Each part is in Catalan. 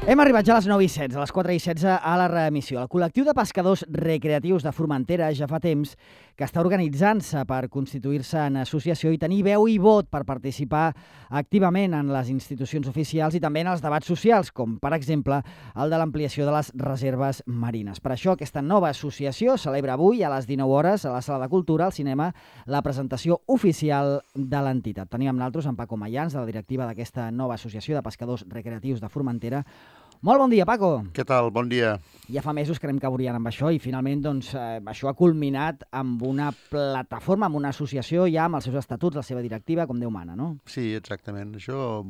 Hem arribat ja a les 9:16, a les 4:16 a la reemissió. El col·lectiu de pescadors recreatius de Formentera ja fa temps que està organitzant-se per constituir-se en associació i tenir veu i vot per participar activament en les institucions oficials i també en els debats socials, com per exemple el de l'ampliació de les reserves marines. Per això aquesta nova associació celebra avui a les 19 hores a la Sala de Cultura, al cinema, la presentació oficial de l'entitat. Tenim amb nosaltres en Paco Mayans, de la directiva d'aquesta nova associació de pescadors recreatius de Formentera. Molt bon dia, Paco. Què tal? Bon dia. Ja fa mesos que anem caurien amb això i finalment això ha culminat amb una plataforma, amb una associació ja amb els seus estatuts, la seva directiva, com Déu mana, no? Sí, exactament. Això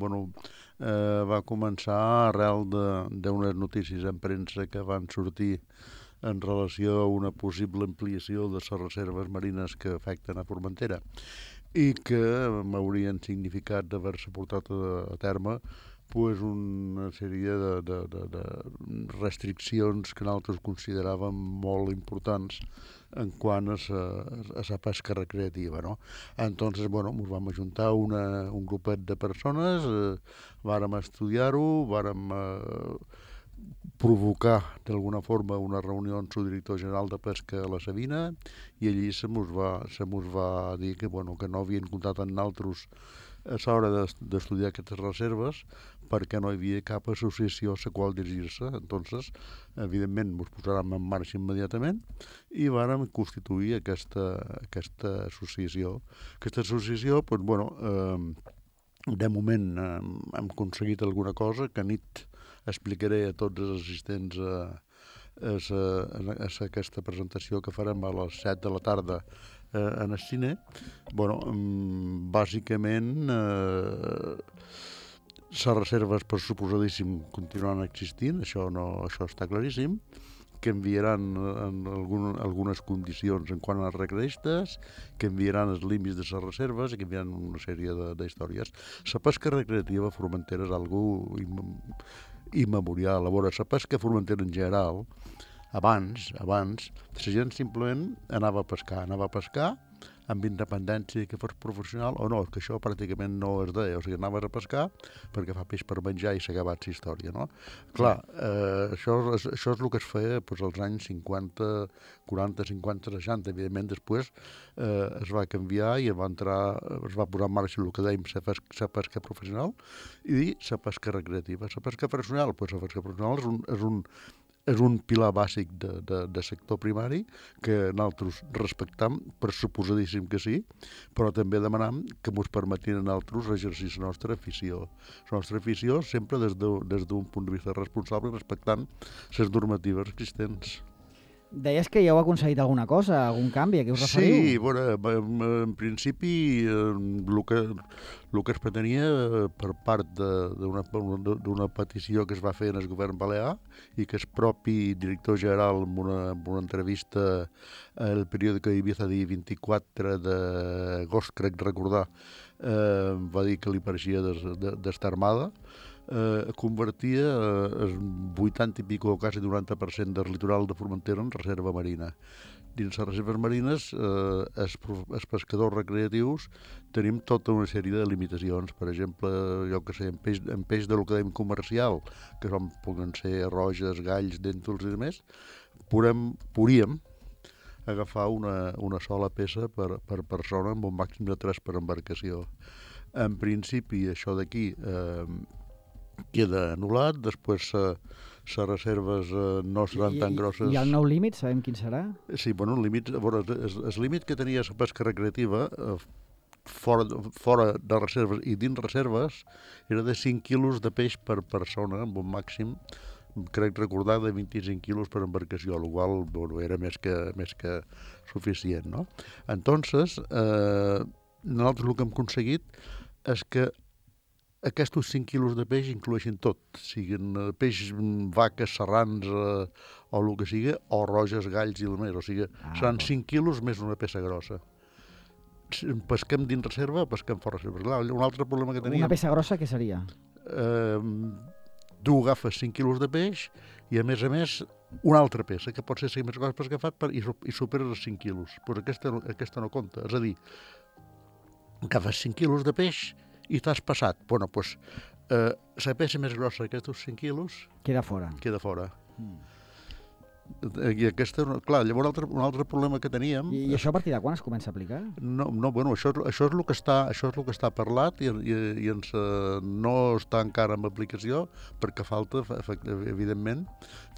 va començar arrel d'unes notícies en premsa que van sortir en relació a una possible ampliació de les reserves marines que afecten a Formentera i que m'haurien significat d'haver-se portat a terme una sèrie de restriccions que nosaltres consideràvem molt importants en quant a la pesca recreativa, no? Entonces, ens vam ajuntar un grupet de persones, vàrem estudiar-ho, vàrem provocar d'alguna forma una reunió amb el director general de pesca a la Sabina i allí se mos va dir que no havien comptat amb nosaltres a l'hora d'estudiar aquestes reserves perquè no hi havia cap associació a la qual dirigir-se. Entonces, evidentment, ens posàrem en marxa immediatament i vàrem constituir aquesta associació. Aquesta associació, de moment hem aconseguit alguna cosa que a nit explicaré a tots els assistents a aquesta presentació que farem a les 7 de la tarda en el cine. Bàsicament, les reserves, per suposadíssim, continuaran existint, això està claríssim, que enviaran algunes condicions en quant als recreistes, que enviaran els límits de les reserves i que enviaran una sèrie d'històries. La pesca recreativa a Formentera és algo immemorial. A veure, la pesca a Formentera en general, abans, la gent simplement anava a pescar amb independència que fos professional o no, que això pràcticament no es deia, o sigui, anaves a pescar perquè fa peix per menjar i s'ha acabat la història, no? Clar, això és el que es feia als anys 50, 40, 50, 60, evidentment després es va canviar i es va posar en marxa el que dèiem la pesca professional i la pesca recreativa. La pesca professional, la pesca professional és un pilar bàsic de sector primari que nosaltres respectam, per suposadíssim que sí, però també demanam que ens permetin a nosaltres exercir la nostra afició. La nostra afició sempre des d'un punt de vista responsable, respectant les normatives existents. Deies que ja heu aconseguit alguna cosa, algun canvi, a què us referiu? Sí, en principi el que es pretenia per part d'una petició que es va fer en el govern balear i que el propi director general en una entrevista al periòdico Ibiza dia 24 d'agost, crec recordar, va dir que li pareixia d'estar armada, convertia el 80 i pico, quasi 90% del litoral de Formentera en reserva marina. Dins les reserves marines, els pescadors recreatius tenim tota una sèrie de limitacions. Per exemple, en peix de lo que dèiem comercial, que poden ser roges, galls, dèntols i demés, podríem agafar una sola peça per persona amb un màxim de 3 per embarcació. En principi, això d'aquí queda anul·lat, després les reserves no seran tan grosses. I el nou límit, sabem quin serà? Sí, el límit que tenia la pesca recreativa fora de reserves i dins reserves era de 5 quilos de peix per persona, amb un màxim, crec recordar, de 25 quilos per embarcació, el qual era més que suficient, no? Entonces, nosaltres el que hem aconseguit és que aquests 5 quilos de peix incloeixen tot, siguin peix, vaques, serrans o el que sigui, o roges, galls i el més, o sigui, seran 5 quilos més una peça grossa. Pesquem dins reserva, pesquem fora reserva. Clar, un altre problema que teníem... Una peça grossa, què seria? Tu agafes 5 quilos de peix i, a més, una altra peça, que pot ser 5 més grossa que fa i superes els 5 quilos. Però aquesta no compta. És a dir, agafes 5 quilos de peix i t'has passat. La peça més grossa d'aquests 5 quilos Queda fora. queda fora. I aquesta, clar, llavors un altre problema que teníem... I això a partir de quan es comença a aplicar? Bueno, això és el que està parlat i no està encara en aplicació perquè falta, evidentment,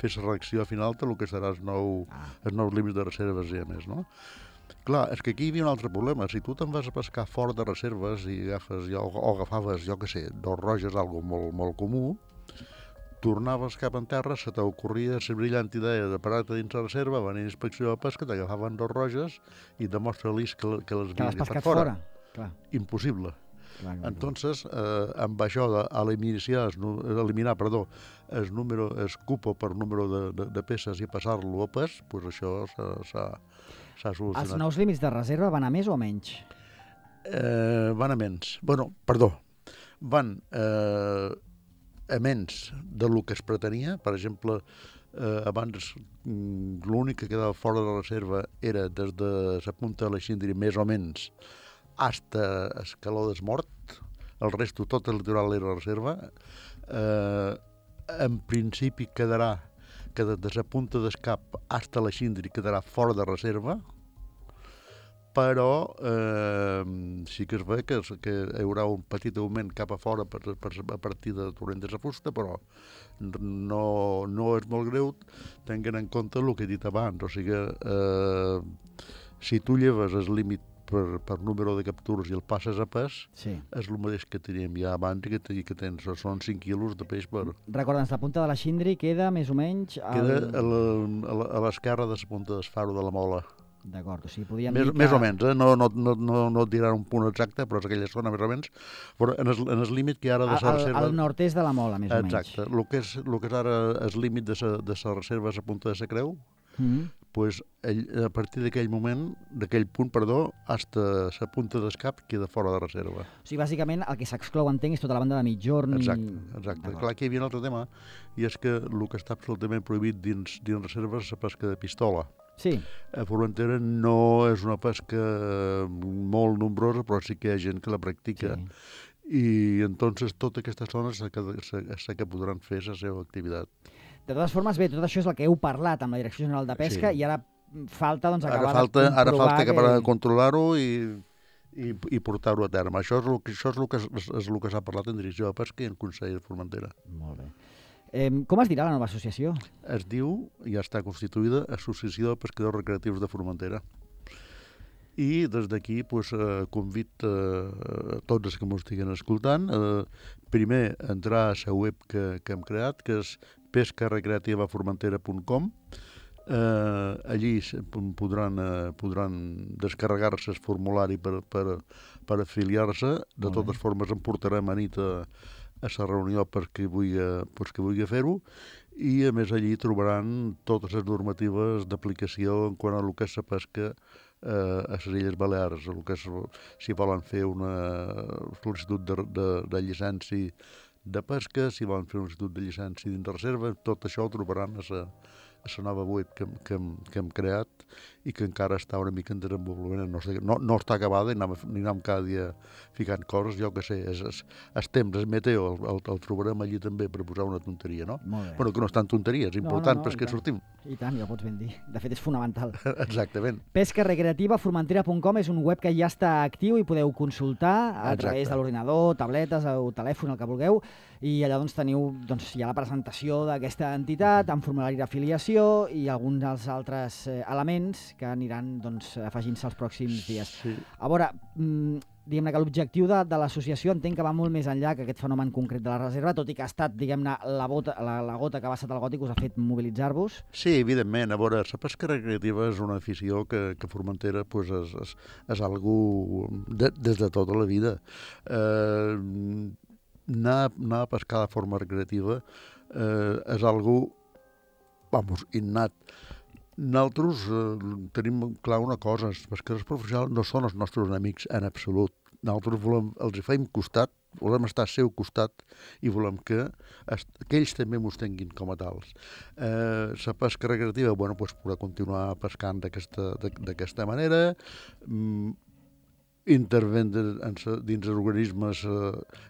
fer la reacció final de lo que serà els nous límits de reserves i a més, no? Clar, és que aquí hi havia un altre problema. Si tu te'n vas a pescar fora de reserves i agafaves, jo què sé, 2 roges, algo molt, molt comú, tornaves cap en terra, se t'ocorria la brillant idea de parar-te dins la reserva, venir a inspecció de pesca, t'agafaven 2 roges i demostra-lis que les Que l'has havies pescat agafat fora. Clar. Impossible. Clar. Entonces, amb això d'eliminar el número, el cupo per número de peces i passar-lo a pes, pues això s'ha solucionat. Els nous límits de reserva van a més o a menys? Van a menys. Van a menys del que es pretenia. Per exemple, abans l'únic que quedava fora de la reserva era des de la punta de la Xindri, més o menys, hasta Escaló d'Esmort. El resto, tot el litoral era reserva. En principi quedarà que des de la punta d'Escap hasta la Xindri quedarà fora de reserva, però sí que es ve que hi haurà un petit augment cap a fora a partir de Torrent de la Fusta, però no és molt greu tenint en compte el que he dit abans. O sigui, si tu lleves el límit per número de captures i el passes a pes, sí, és el mateix que teníem ja abans i que tens, són 5 quilos de peix per... Recorda'ns, la punta de la Xindri queda més o menys... Queda a l'esquerra de la punta d'Esfaro de la Mola. D'acord, o sigui, podríem dir que... Més o menys, no et diran un punt exacte, però és aquella zona més o menys. Però en el límit que ara de la reserva... Al nord-est de la Mola, més o menys. Exacte. El que és ara el límit de la reserva a la punta de la Creu, pues, a partir d'aquell punt, hasta la punta d'Escap queda fora de reserva. O sigui, bàsicament, el que s'exclou, entenc, és tota la banda de migjorn. Exacte. Clar, aquí hi havia un altre tema, i és que el que està absolutament prohibit dins reserves és la pesca de pistola. Sí. A Formentera no és una pesca molt nombrosa, però sí que hi ha gent que la practica. Sí. I entonces tota aquesta zona sé que podran fer la seva activitat. De totes formes, bé, tot això és el que heu parlat amb la Direcció General de Pesca, sí, i ara falta doncs, acabar de comprovar... Ara falta acabar de controlar-ho i portar-ho a terme. Això és el que s'ha parlat en Direcció de Pesca i en Consell de Formentera. Molt bé. Com es dirà la nova associació? Es diu, ja està constituïda, Associació de Pescadors Recreatius de Formentera. I des d'aquí convido a tots els que m'ho estiguin escoltant primer entrar a la web que hem creat, que és pescarecreativaformentera.com. Allí podran descarregar-se el formulari per afiliar-se. De totes formes em portarem a nit a la reunió per qui vulgui fer-ho, i a més allí trobaran totes les normatives d'aplicació en quant a el que és la pesca a les Illes Balears, si volen fer una sol·licitud de llicència de pesca, si volen fer una sol·licitud de llicència dins de reserva, tot això ho trobaran a la nova web que hem creat i que encara està una mica en desenvolupament. No està acabada i anem cada dia ficant coses, jo que sé, el temps, el meteo, el trobarem allí també per posar una tonteria, no? Bueno, que no és tan tonteria, és important perquè sortim. I tant, ja ho pots ben dir. De fet, és fonamental. Exactament. Pescarecreativaformentera.com és un web que ja està actiu i podeu consultar a través de l'ordinador, tabletes o telèfon, el que vulgueu, i allà teniu ja la presentació d'aquesta entitat amb formulari d'afiliació i alguns dels altres elements que aniran afegint-se els pròxims dies. Sí. A veure, diguem-ne que l'objectiu de l'associació entenc que va molt més enllà que aquest fenomen concret de la reserva, tot i que ha estat, diguem-ne, la gota que ha vessat el got i que us ha fet mobilitzar-vos. Sí, evidentment. A veure, la pesca recreativa és una afició que Formentera és algú des de tota la vida. Anar a pescar de forma recreativa és algú, innat. Nosaltres tenim clar una cosa, els pescadors professionals no són els nostres enemics en absolut. Nosaltres els fem costat, volem estar al seu costat i volem que ells també mos tinguin com a tals. La pesca recreativa, podrà continuar pescant d'aquesta manera. intervent dins organismes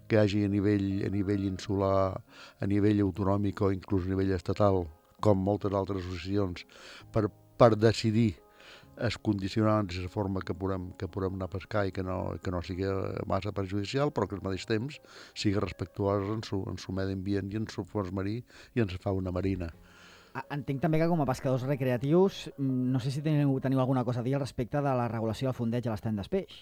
que hi hagi a nivell insular, a nivell autonòmic o inclús a nivell estatal, com moltes altres associacions, per decidir els condicionants i la forma que podem anar a pescar i que no sigui massa perjudicial, però que al mateix temps sigui respectuós en su medi ambient i en su fons marí i en la fauna marina. Entenc també que com a pescadors recreatius, no sé si teniu alguna cosa a dir al respecte de la regulació del fondeig a l'estany d'Espeix.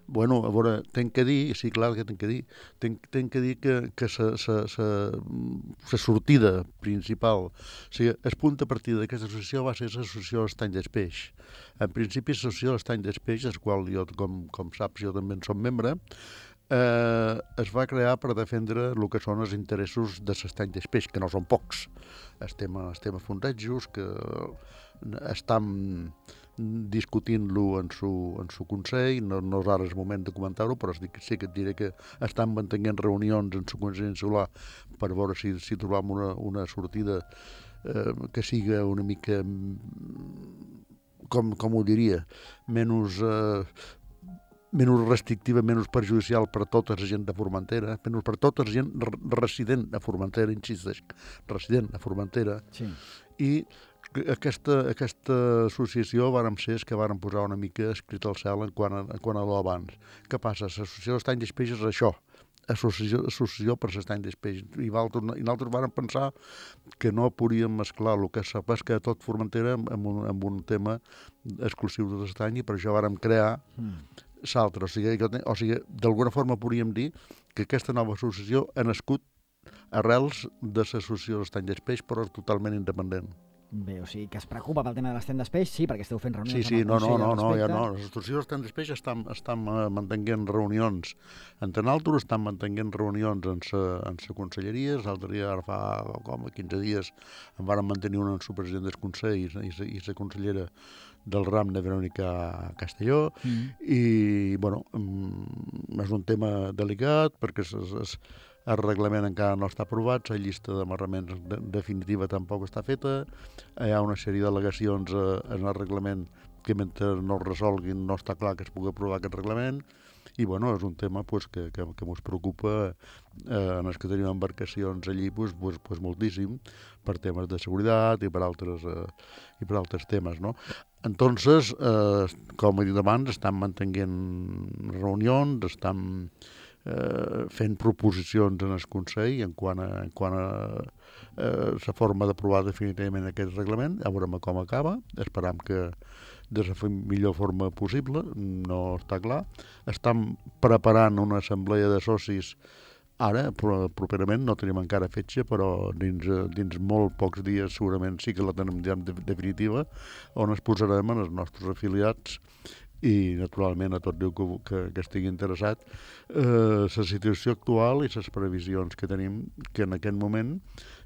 Bueno, a veure, tenc que dir, sí, clar que tenc que dir, tenc que dir que la sortida principal, o sigui, el punt de partida d'aquesta associació va ser l'associació Estany d'Espeix. En principi, l'associació Estany d'Espeix, del qual jo, com saps, jo també en som membre, es va crear per defendre el que són els interessos de l'estany d'Espeix, que no són pocs. Estem a fondejos, que estan discutint-lo en su consell, no és ara el moment de comentar-ho, però sí que et diré que estan mantenint reunions en su consell insular per veure si trobam una sortida que siga una mica, com ho diria, menys restrictiva, menys perjudicial per tota la gent de Formentera, menys per tota la gent resident a Formentera, insisteix, resident a Formentera, sí. I aquesta associació vàrem ser els que vàrem posar una mica escrit al cel en quant a l'abans. Què passa? L'associació d'Estany d'Espeix és això, associació per l'estany d'Espeix. I nosaltres vàrem pensar que no podíem mesclar el que és la pesca de tot Formentera amb un tema exclusiu de l'estany, i per això vàrem crear l'altre. O sigui, d'alguna forma podríem dir que aquesta nova associació ha nascut arrels de l'associació d'Estany d'Espeix, però totalment independent. Bé, o sigui, que es preocupa pel tema de l'estany d'Espeix, sí, perquè esteu fent reunions amb el Consell al respecte. No. L'associació d'Estany d'Espeix estan mantenint reunions entre nosaltres, estan mantenint reunions en la conselleria. L'altre dia, ara fa com 15 dies, en varen mantenir una en el president del Consell i la consellera del RAM de Verònica Castelló. I, bueno, és un tema delicat perquè el reglament encara no està aprovat, la llista d'amarraments definitiva tampoc està feta, hi ha una sèrie d'al·legacions en el reglament que mentre no es resolguin no està clar que es pugui aprovar aquest reglament, i bueno, és un tema que ens preocupa en els que tenim embarcacions allí moltíssim, per temes de seguretat i per altres temes, no? Entonces, com he dit abans, estan mantenint reunions, estan fent proposicions en el Consell en quant a la forma d'aprovar definitivament aquest reglament. A veure com acaba, esperam que de la millor forma possible, no està clar. Estan preparant una assemblea de socis ara, properament, no tenim encara fetge, però dins molt pocs dies segurament sí que la tenim ja definitiva, on es posarem en els nostres afiliats i, naturalment, a tot Déu que estigui interessat, la situació actual i les previsions que tenim, que en aquest moment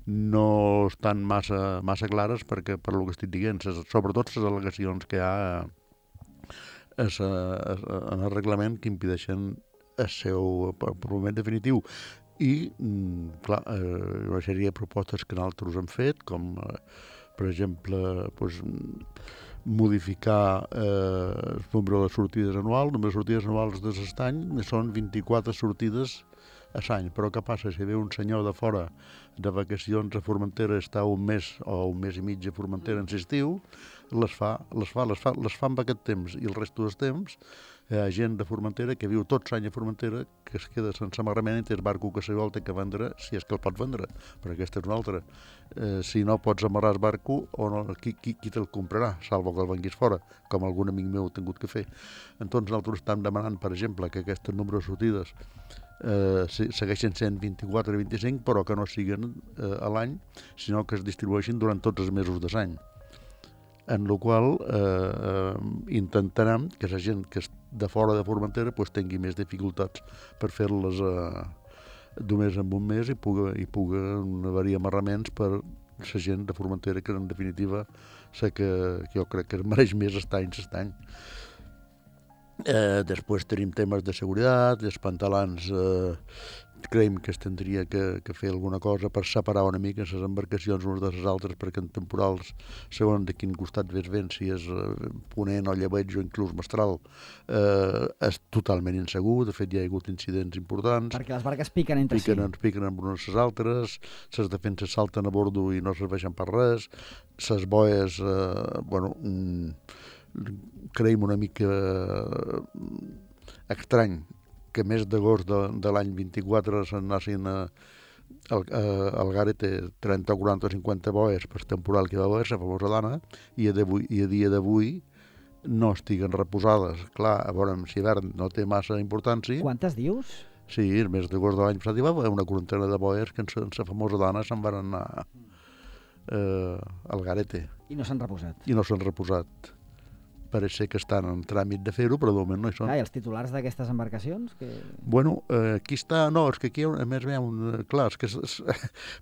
no estan massa clares, perquè, per el que estic dient, sobretot les al·legacions que hi ha en el reglament que impedeixen el seu aprovament definitiu. I, clar, una sèrie de propostes que nosaltres hem fet, com, per exemple, modificar el nombre de sortides anual. El nombre de sortides anuals de l'estany són 24 sortides a l'any, però què passa? Si ve un senyor de fora de vacacions a Formentera, està un mes o un mes i mig a Formentera en l'estiu, les fa amb aquest temps, i el resto del temps hi ha gent de Formentera que viu tot l'any a Formentera, que es queda sense amarrament i té el barco que se vol té que vendre, si és que el pot vendre, perquè aquesta és una altra. Si no pots amarrar el barco, o no, qui te'l comprarà, salvo que el venguis fora, com algun amic meu ha tingut que fer. Entonces nosaltres estem demanant, per exemple, que aquest nombre de sortides segueixen sent 24 i 25, però que no siguin a l'any, sinó que es distribueixin durant tots els mesos de l'any. En la qual intentarem que la gent que és de fora de Formentera tingui més dificultats per fer-les només en un mes i puguen haver-hi amarraments per la gent de Formentera, que en definitiva sé que jo crec que es mereix més estany. Després tenim temes de seguretat, els pantalans creiem que es tindria que fer alguna cosa per separar una mica les embarcacions unes de les altres, perquè en temporals, segons de quin costat ves vent, si és ponent o llebeig o inclús mestral, és totalment insegur. De fet, ja hi ha hagut incidents importants. Perquè les barques piquen entre si. Piquen amb unes les altres, les defenses salten a bordo i no serveixen per res, les boies, creiem una mica estrany que més d'agost de l'any 24 s'anassin al Garete 30, 40 o 50 boies per temporal que va haver, la famosa dana, i a dia d'avui no estiguen reposades. Clar, a veure, si hivern no té massa importància. Quantes dius? Sí, el mes d'agost de l'any passat hi va haver una quarantena de boies que en la famosa dana se'n van anar al Garete. I no s'han reposat. I no s'han reposat. Pareix ser que estan en tràmit de fer-ho, però de moment no hi són. I els titulars d'aquestes embarcacions? Bueno, aquí està... No, és que aquí, a més, clar, és que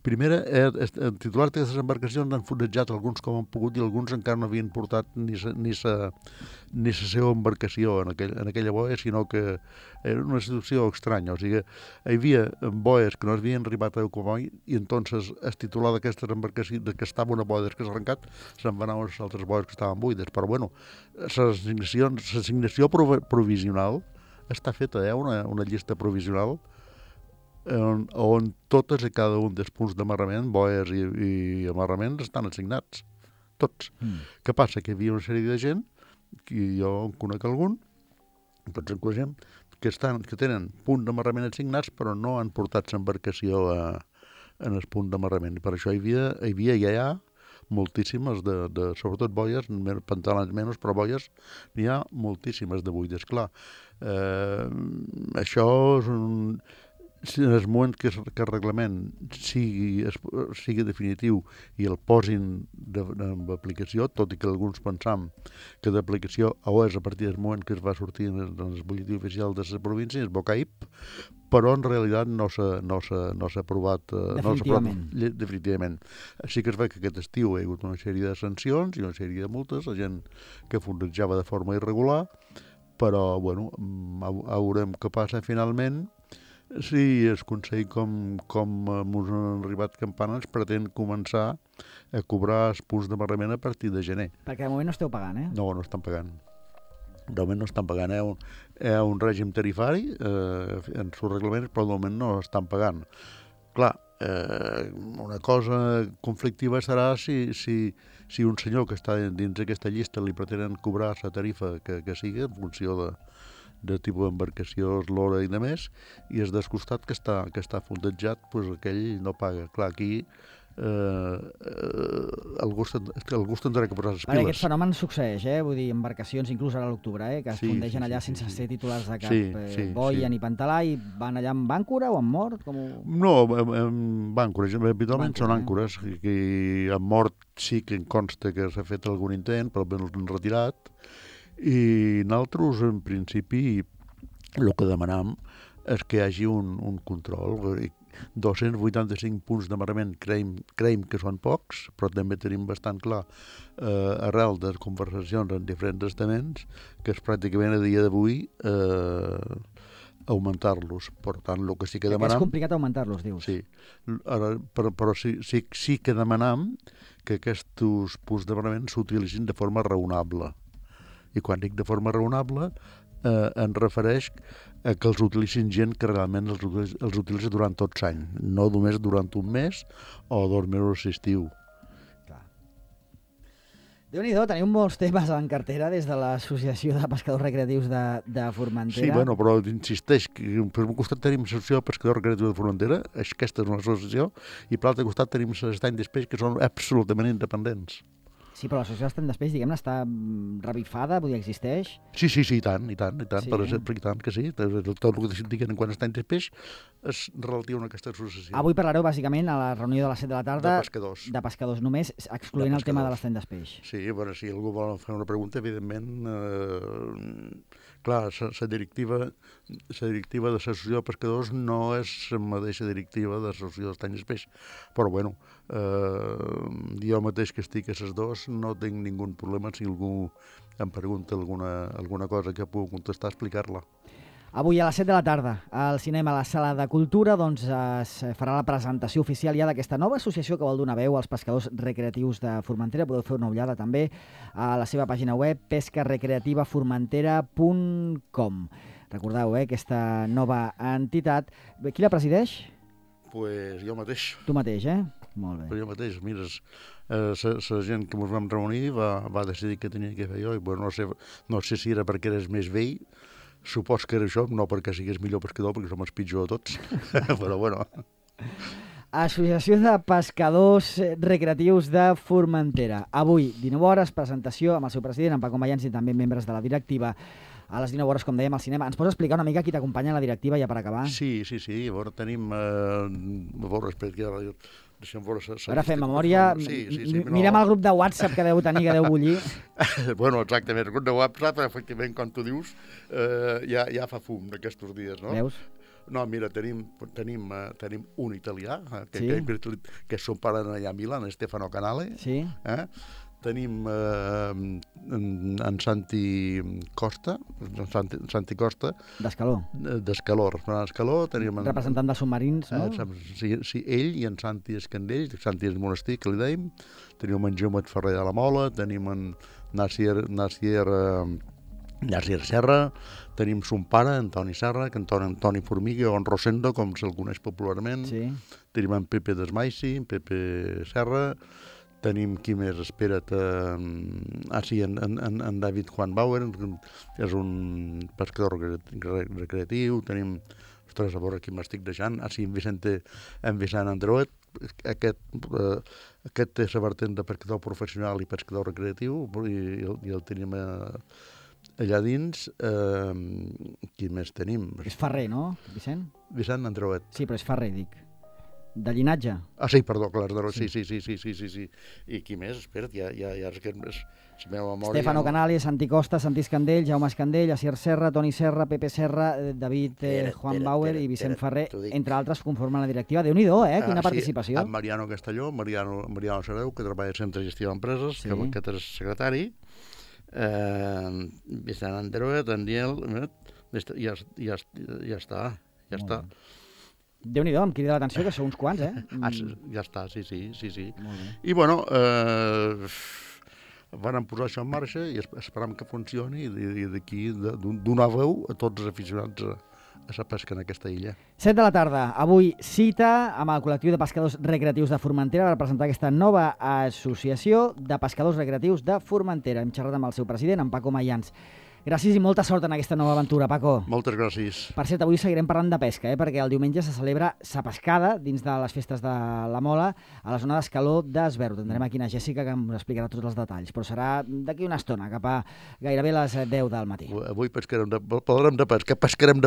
primera, els titulars d'aquestes embarcacions han fonejat alguns com han pogut i alguns encara no havien portat ni la seva embarcació en aquella boia, sinó que era una situació estranya. O sigui, hi havia boies que no havien arribat a Eucomoi i entonces el titular d'aquestes embarcacions, que estava una boia que s'ha arrencat, se'n van anar a les altres boies que estaven buides. Però, bueno, l'assignació provisional està feta, una llista provisional on totes i cada un dels punts d'amarrament, boies i amarraments, estan assignats. Tots. Què passa? Que hi havia una sèrie de gent, que jo en conec algun, tots en coneixem, que tenen punt d'amarrament assignats però no han portat l'embarcació en el punt d'amarrament. I per això hi havia ja hi ha moltíssimes, sobretot boies, pantalons menys, però boies n'hi ha moltíssimes de buides. Clar, això és si en el moment que el reglament sigui definitiu i el posin en aplicació, tot i que alguns pensam que d'aplicació o és a partir del moment que es va sortir en el butlletí oficial de les províncies, Bocaip, però en realitat no s'ha aprovat definitivament. Així que es veu que aquest estiu hi ha hagut una sèrie de sancions i una sèrie de multes, la gent que fonejava de forma irregular, però bueno, veurem què passa finalment. Sí, el Consell, com ens han arribat campanes, pretén començar a cobrar els punts d'amarrament a partir de gener. Perquè de moment no esteu pagant, No, no estan pagant. De moment no estan pagant. Hi ha un règim tarifari en els reglaments, però de moment no estan pagant. Clar, una cosa conflictiva serà si un senyor que està dins d'aquesta llista li pretenen cobrar la tarifa que sigui en funció de tipus d'embarcació, l'hora i de més, i és descostat que està fondejat, doncs aquell no paga. Clar, aquí algú tindrà que posar les piles. Aquest fenomen succeeix, vull dir, embarcacions, inclús ara a l'octubre, que es fondegen allà sense ser titulars de cap boia ni pantalà, i van allà amb àncora o amb mort? No, amb àncores, habitualment són àncores, que amb mort sí que em consta que s'ha fet algun intent, però ben l'han retirat. I nosaltres, en principi, el que demanam és que hi hagi un control. 285 punts d'amarrament creiem que són pocs, però també tenim bastant clar, arrel de conversacions en diferents estaments, que és pràcticament a dia d'avui augmentar-los. Per tant, el que sí que demanam... És complicat augmentar-los, dius. Sí, però sí que demanam que aquests punts d'amarrament s'utilitzin de forma raonable. I quan dic de forma raonable, em refereix a que els utilitzin gent que realment els utilitza durant tot l'any, no només durant un mes o 2 mesos d'estiu. Déu-n'hi-do, teniu molts temes en cartera des de l'Associació de Pescadors Recreatius de Formentera. Sí, bueno, però insisteix que per un costat tenim l'Associació de Pescadors Recreatius de Formentera, aquesta és una associació, i per l'altre costat tenim l'Estany d'Espeix, que són absolutament independents. Sí, però l'associació d'Estany d'Espeix, diguem-ne, està revifada, vull dir, existeix? Sí, i tant, sí, per exemple, i tant que sí. Tot el que diguen quan Estany d'Espeix és relatiu a aquesta associació. Avui parlareu bàsicament a la reunió de les 7 de la tarda de pescadors només, excloent el tema de l'Estany d'Espeix. Sí, però si algú vol fer una pregunta, evidentment, clar, la directiva de l'associació de pescadors no és la mateixa directiva de l'associació d'Estany d'Espeix, però bueno, jo mateix que estic a les dues no tinc ningú problema si algú em pregunta alguna cosa que puc contestar, explicar-la. Avui a les 7 de la tarda, al cinema, a la Sala de Cultura, doncs es farà la presentació oficial ja d'aquesta nova associació que vol donar veu als pescadors recreatius de Formentera. Podeu fer una ullada també a la seva pàgina web pescarecreativaformentera.com. Recordeu, aquesta nova entitat. Qui la presideix? Pues jo mateix. Tu mateix, Molt bé. Jo mateix, mira, la gent que ens vam reunir va decidir que tenia que fer jo, i bueno, no sé si era perquè eres més vell, supos que era això, no perquè sigués millor pescador, perquè som els pitjors de tots, però bueno. Associació de Pescadors Recreatius de Formentera. Avui, 19 hores, presentació amb el seu president, en Paco Mayans, i també membres de la directiva. A les 19 hores, com dèiem, al cinema. Ens pots explicar una mica qui t'acompanya a la directiva ja per acabar? Sí. A veure, tenim... A veure, espera, que deixem veure... Ara fem memòria. Mirem el grup de WhatsApp que deu tenir, que deu bullir. Bueno, exactament. El grup de WhatsApp, efectivament, com tu dius, ja fa fum d'aquests dies, no? Veus? No, mira, tenim un italià, que és son pare allà a Milà, en Stefano Canale. Sí. Tenim en Santi Costa, D'Escaló. D'Escaló. Representant de submarins, no? Sí, ell i en Santi Escandell, Santi és Monestir, que li dèiem. Tenim en Jaumet Ferrer de la Mola, tenim en Nasier Serra, tenim son pare, Antoni Serra, que Antoni Formiga, o en Rosendo, com se'l coneix popularment. Sí. Tenim en Pepe Desmaisi, en Pepe Serra. Tenim, qui més? Espera't... en David Juan Bauer, que és un pescador recreatiu. Tenim... Ostres, a veure qui m'estic deixant. En Vicent Andreuet. Aquest és la vertent de pescador professional i pescador recreatiu, i el tenim allà dins. Qui més tenim? És ferrer, no, Vicent? Vicent Andreuet. Sí, però és ferrer, dic. De llinatge? Sí, perdó, clar, sí. I qui més? Espera't, ja és que la meva memòria... Stefano Canale, Santi Costa, Santi Escandell, Jaume Escandell, Asier Serra, Toni Serra, Pepe Serra, David Juan Bauer i Vicent Ferrer, entre altres, conformen la directiva. Déu-n'hi-do, quina participació. En Mariano Castelló, Mariano Sareu, que treballa al Centre de Gestió d'Empreses, que és secretari, Vicent Andreuet, Daniel, ja està. Déu-n'hi-do, em crida l'atenció, que sou uns quants, Ja està, sí. I, bueno, van posar això en marxa i esperam que funcioni i d'aquí donar veu a tots els aficionats a la pesca en aquesta illa. 7 de la tarda, avui cita amb el col·lectiu de pescadors recreatius de Formentera per presentar aquesta nova associació de pescadors recreatius de Formentera. Hem xerrat amb el seu president, en Paco Mayans. Gràcies i molta sort en aquesta nova aventura, Paco. Moltes gràcies. Per cert, avui seguirem parlant de pesca, perquè el diumenge se celebra sa pescada dins de les festes de la Mola a la zona d'Escaló d'Esberg. Tindrem aquí una Jèssica que ens explicarà tots els detalls, però serà d'aquí una estona, cap a gairebé les 10 del matí. Avui parlarem de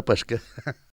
pesca.